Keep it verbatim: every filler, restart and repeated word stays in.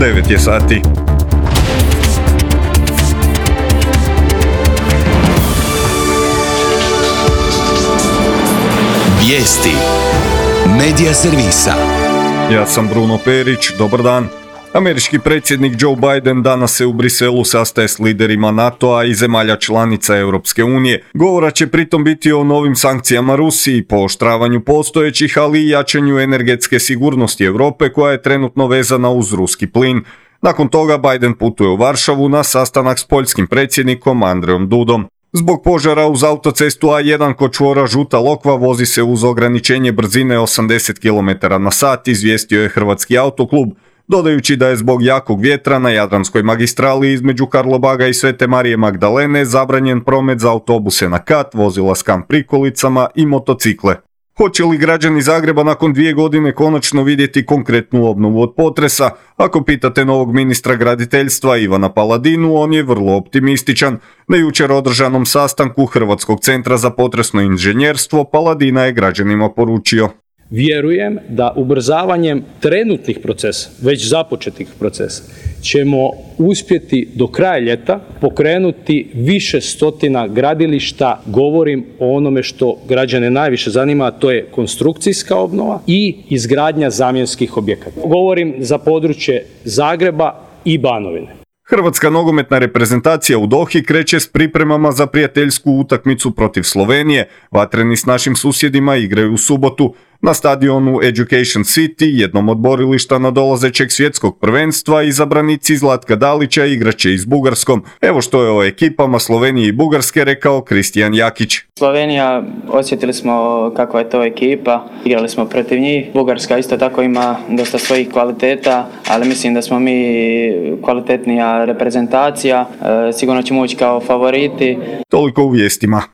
devet je sati. Vijesti Medija servisa. Ja sam Bruno Perić, dobar dan. Američki predsjednik Joe Biden danas se u Briselu sastaje s liderima NATO-a i zemalja članica Europske unije. Govora će pritom biti o novim sankcijama Rusiji, pooštravanju postojećih, ali i jačanju energetske sigurnosti Europe koja je trenutno vezana uz ruski plin. Nakon toga Biden putuje u Varšavu na sastanak s poljskim predsjednikom Andrejom Dudom. Zbog požara uz autocestu A jedan kod čvora Žuta Lokva vozi se uz ograničenje brzine osamdeset kilometara na sat, izvijestio je Hrvatski autoklub, dodajući da je zbog jakog vjetra na Jadranskoj magistrali između Karlobaga i Svete Marije Magdalene zabranjen promet za autobuse na kat, vozila s kamp prikolicama i motocikle. Hoće li građani Zagreba nakon dvije godine konačno vidjeti konkretnu obnovu od potresa? Ako pitate novog ministra graditeljstva Ivana Paladinu, on je vrlo optimističan. Na jučer održanom sastanku Hrvatskog centra za potresno inženjerstvo Paladina je građanima poručio: vjerujem da ubrzavanjem trenutnih procesa, već započetih procesa, ćemo uspjeti do kraja ljeta pokrenuti više stotina gradilišta. Govorim o onome što građane najviše zanima, a to je konstrukcijska obnova i izgradnja zamjenskih objekata. Govorim za područje Zagreba i Banovine. Hrvatska nogometna reprezentacija u Dohi kreće s pripremama za prijateljsku utakmicu protiv Slovenije. Vatreni s našim susjedima igraju u subotu na stadionu Education City, jednom od borilišta nadolazećeg svjetskog prvenstva. Izabranici Zlatka Dalića igraće i s Bugarskom. Evo što je o ekipama Slovenije i Bugarske rekao Kristijan Jakić. Slovenija, osjetili smo kakva je to ekipa, igrali smo protiv njih. Bugarska isto tako ima dosta svojih kvaliteta, ali mislim da smo mi kvalitetnija reprezentacija. E, sigurno ćemo ući kao favoriti. Toliko u vijestima.